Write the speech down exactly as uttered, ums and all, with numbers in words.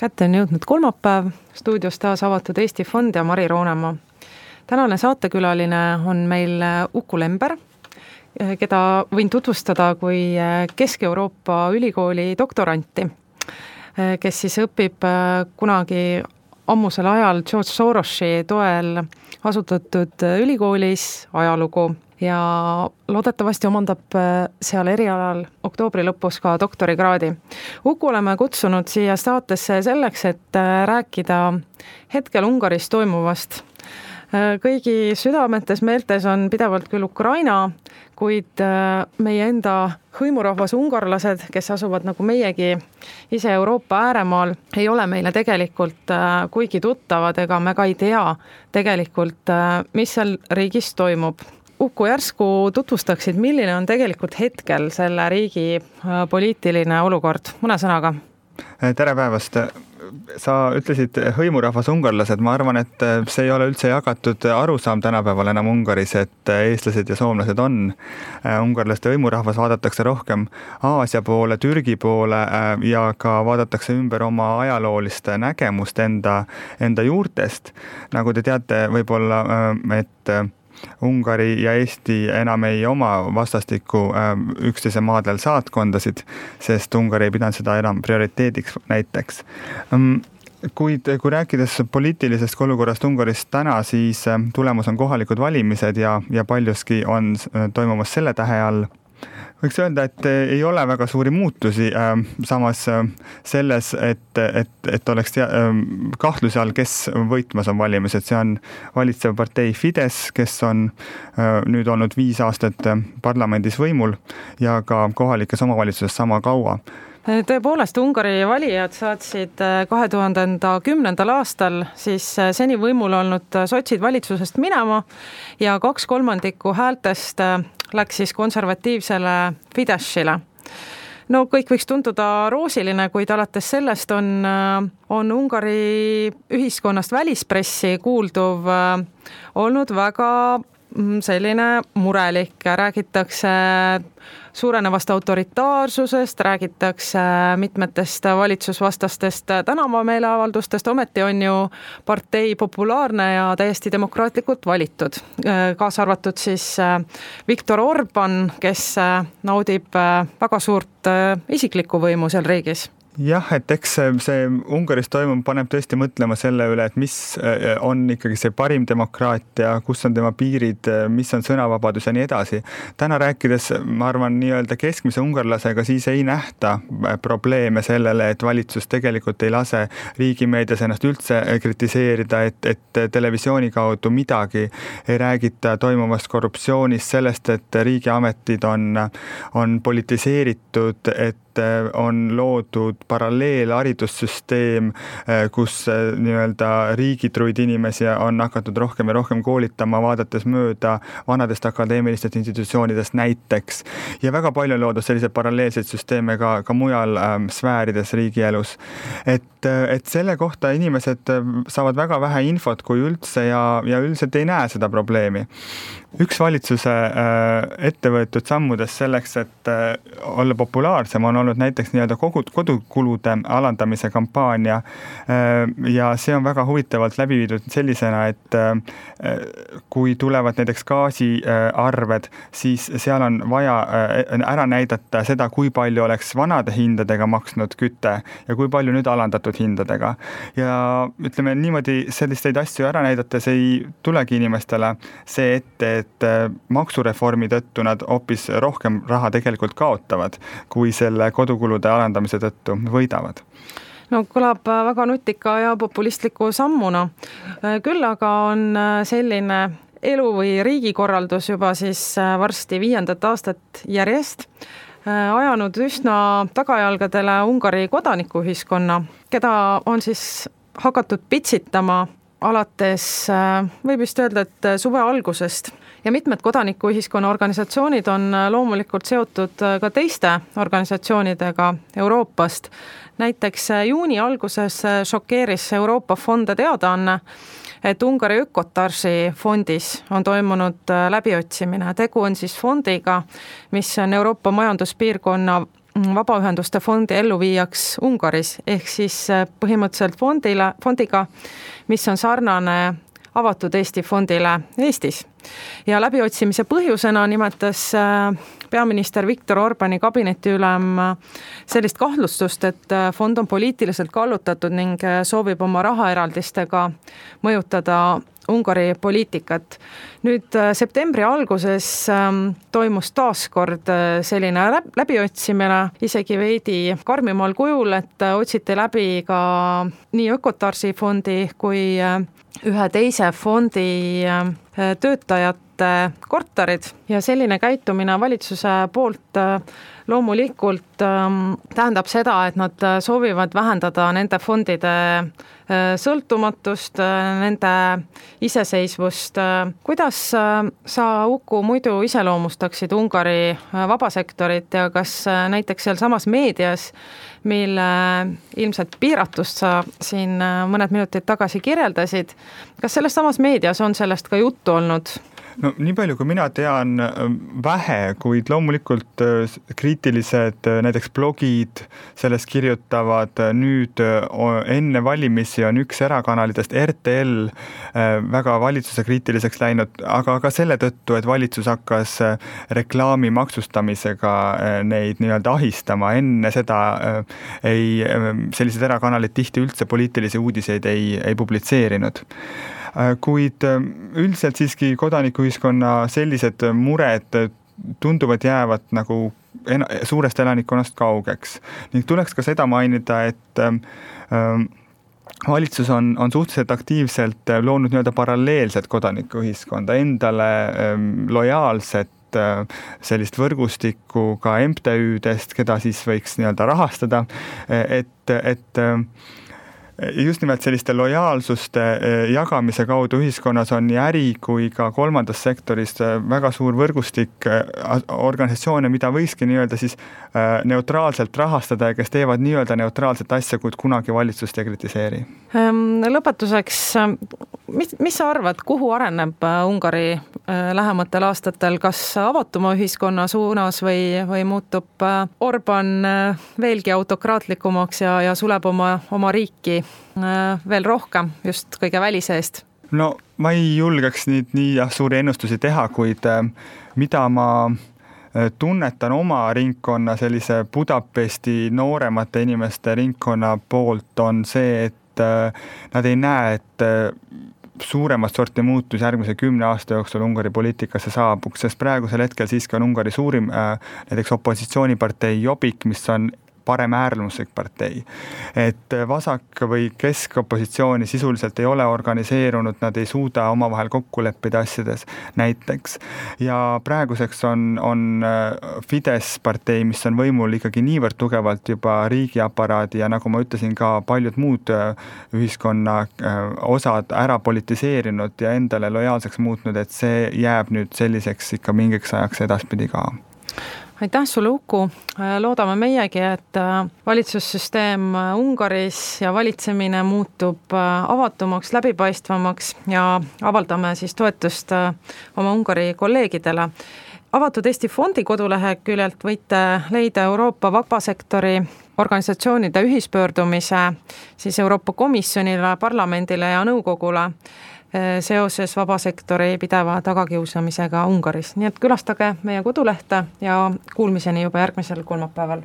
Kätte on jõudnud kolmapäev, stuudios taas avatud Eesti Fond ja Mari Roonemaa. Tänane saatekülaline on meil Uku Lember, keda võin tutvustada kui Kesk-Euroopa ülikooli doktoranti, kes siis õpib kunagi ammusel ajal George Sorosi toel asutatud ülikoolis ajalugu ja loodetavasti omandab seal erialal oktoobri lõpus ka doktorikraadi. Uku oleme kutsunud siia saatesse selleks, et rääkida hetkel Ungaris toimuvast. Kõigi südametes meeltes on pidevalt küll Ukraina, kuid meie enda hõimurahvas ungarlased, kes asuvad nagu meiegi ise Euroopa ääremaal, ei ole meile tegelikult kuigi tuttavad ega me ka ei tea tegelikult, mis seal riigis toimub. Uku, järsku tutvustaksid, milline on tegelikult hetkel selle riigi poliitiline olukord? Mõne sõnaga. Tere päevast! Sa ütlesid hõimurahvas ungarlased, ma arvan, et see ei ole üldse jagatud arusaam tänapäeval enam Ungaris, et eestlased ja soomlased on ungarlaste hõimurahvas, vaadatakse rohkem Aasia poole, Türgi poole ja ka vaadatakse ümber oma ajalooliste nägemust enda, enda juurtest. Nagu te teate, võib-olla, et Ungari ja Eesti enam ei oma vastastikku üksteise maadel saatkondasid, sest Ungari ei pidanud seda enam prioriteediks näiteks. Kuid kui rääkides poliitilisest olukorrast Ungaris täna, siis tulemus on kohalikud valimised ja, ja paljuski on toimumas selle tähe all. Võiks öelda, et ei ole väga suuri muutusi, samas selles, et, et, et oleks kahtluse all, kes võitmas on valimised. See on valitsev partei Fidesz, kes on nüüd olnud viis aastat parlamendis võimul ja ka kohalikes omavalitsuses sama kaua. Tõepoolest, Ungari valijad saatsid kahe tuhande kümnendal aastal siis seni võimul olnud sotsid valitsusest minema ja kaks kolmandikku häältest läks siis konservatiivsele Fideszile. No kõik võiks tunduda roosiline, kuid alates sellest on, on Ungari ühiskonnast välispressi kuulduv olnud väga selline murelik. Räägitakse suurenevast autoritaarsusest, räägitakse mitmetest valitsusvastastest tänavameeleavaldustest, ometi on ju partei populaarne ja täiesti demokraatlikult valitud. Kaasa arvatud siis Viktor Orban, kes naudib väga suurt isiklikku võimu seal riigis. Jah, et eks see Ungaris toimub, paneb tõesti mõtlema selle üle, et mis on ikkagi see parim demokraatia, kus on tema piirid, mis on sõnavabadus ja nii edasi. Täna rääkides, ma arvan, nii-öelda keskmise ungarlasega, siis ei nähta probleeme sellele, et valitsus tegelikult ei lase riigimeedias ennast üldse kritiseerida, et, et televisiooni kaudu midagi ei räägita toimuvast korruptsioonist, sellest, et riigiametid on, on politiseeritud, et on loodud paralleelharidussüsteem, kus nii-öelda riigitruid inimesi on hakatud rohkem ja rohkem koolitama, vaadates mööda vanadest akadeemilistest institutsioonidest näiteks. Ja väga palju on loodud selliseid paralleelseid süsteeme ka, ka mujal ähm, sfäärides riigielus. Et, et selle kohta inimesed saavad väga vähe infot kui üldse ja, ja üldiselt ei näe seda probleemi. Üks valitsuse äh, ettevõetud sammudes selleks, et äh, olla populaarsem, on olnud näiteks nii-öelda kodukulude alandamise kampaania äh, ja see on väga huvitavalt läbi viidud sellisena, et äh, kui tulevad näiteks gaasiarved, siis seal on vaja äh, ära näidata seda, kui palju oleks vanade hindadega maksnud küte ja kui palju nüüd alandatud hindadega. Ja ütleme niimoodi selliseid asju ära näidates ei tulegi inimestele see ette, et maksureformi tõttu nad hoopis rohkem raha tegelikult kaotavad, kui selle kodukulude alandamise tõttu võidavad. No kõlab väga nutika ja populistliku sammuna. Küll aga on selline elu või riigikorraldus juba siis varsti viiendat aastat järjest ajanud üsna tagajalgadele Ungari kodanikuühiskonna, keda on siis hakatud pitsitama alates, võib just öelda, et suve algusest. Ja mitmed kodanikuühiskonna organisatsioonid on loomulikult seotud ka teiste organisatsioonidega Euroopast. Näiteks juuni alguses šokeeris Euroopa fonde teadaanne, et Ungari Ökotarsi fondis on toimunud läbiotsimine. Tegu on siis fondiga, mis on Euroopa majanduspiirkonna vabaühenduste fondi elluviijaks Ungaris, ehk siis põhimõtteliselt fondile, fondiga, mis on sarnane avatud Eesti fondile Eestis. Ja läbiotsimise põhjusena nimetas peaminister Viktor Orbani kabinetiülem sellist kahtlustust, et fond on poliitiliselt kallutatud ning soovib oma rahaeraldistega mõjutada Ungari poliitikat. Nüüd septembri alguses toimus taaskord selline läbiotsimine, isegi veidi karmimal kujul, et otsiti läbi ka nii Ökotarsi fondi kui ühe teise fondi töötajate korterid ja selline käitumine valitsuse poolt loomulikult tähendab seda, et nad soovivad vähendada nende fondide sõltumatust, nende iseseisvust. Kuidas sa, Uku, muidu iseloomustaksid Ungari vabasektorit ja kas näiteks seal samas meedias, mille ilmselt piiratust sa siin mõned minutid tagasi kirjeldasid, kas selles samas meedias on sellest ka juttu olnud? No nii palju, kui mina tean, vähe, kuid loomulikult kriitilised näiteks blogid sellest kirjutavad. Nüüd enne valimisi on üks erakanalitest R T L väga valitsuse kriitiliseks läinud, aga ka selle tõttu, et valitsus hakkas reklaami maksustamisega neid nii-öelda ahistama. Enne seda ei, sellised erakanalid tihti üldse poliitilisi uudiseid ei, ei publitseerinud. Kuid üldiselt siiski kodanikuühiskonna sellised mured tunduvad jäävad nagu suurest elanikkonnast kaugeks. Ning tuleks ka seda mainida, et valitsus on, on suhteliselt aktiivselt loonud nii-öelda paralleelset kodanikuühiskonda, endale lojaalset sellist võrgustikku ka M T Ü-dest, keda siis võiks nii-öelda rahastada, et, et just nimelt selliste lojaalsuste jagamise kaudu ühiskonnas on nii äri kui ka kolmandas sektoris väga suur võrgustik organisatsioone, mida võikski nii-öelda siis neutraalselt rahastada ja kes teevad nii-öelda neutraalset asja, kuid kunagi valitsust ei kritiseeri. Lõpetuseks, mis, mis sa arvad, kuhu areneb Ungari lähematel aastatel, kas avatuma ühiskonna suunas või, või muutub Orban veelgi autokraatlikumaks ja, ja suleb oma, oma riiki veel rohkem just kõige välise eest? No ma ei julgeks nii, nii jah, suuri ennustusi teha, kuid mida ma tunnetan oma ringkonna sellise Budapesti nooremate inimeste ringkonna poolt on see, et nad ei näe, et suuremat sorti muutus järgmise kümne aasta jooksul Ungari poliitikasse saabuks, sest praegusel hetkel siiski on Ungari suurim näiteks opositsioonipartei Jobbik, mis on parem äärmuslik partei. Et vasak või keskopositsiooni sisuliselt ei ole organiseerunud, nad ei suuda omavahel kokku leppida asjades näiteks. Ja praeguseks on, on Fidesz partei, mis on võimul ikkagi niivõrd tugevalt juba riigiaparaadi ja nagu ma ütlesin, ka paljud muud ühiskonna osad ära politiseerinud ja endale lojaalseks muutnud, et see jääb nüüd selliseks ikka mingiks ajaks edaspidi ka. Aitäh sulle, Uku. Loodame meiegi, et valitsussüsteem Ungaris ja valitsemine muutub avatumaks, läbipaistvamaks ja avaldame siis toetust oma Ungari kolleegidele. Avatud Eesti fondi koduleheküljelt võite leida Euroopa vabasektori organisatsioonide ühispöördumise siis Euroopa Komisjonile, parlamendile ja nõukogule seoses vabasektori pideva tagakiusamisega Ungaris. Nii et külastage meie kodulehte ja kuulmiseni juba järgmisel kolmapäeval.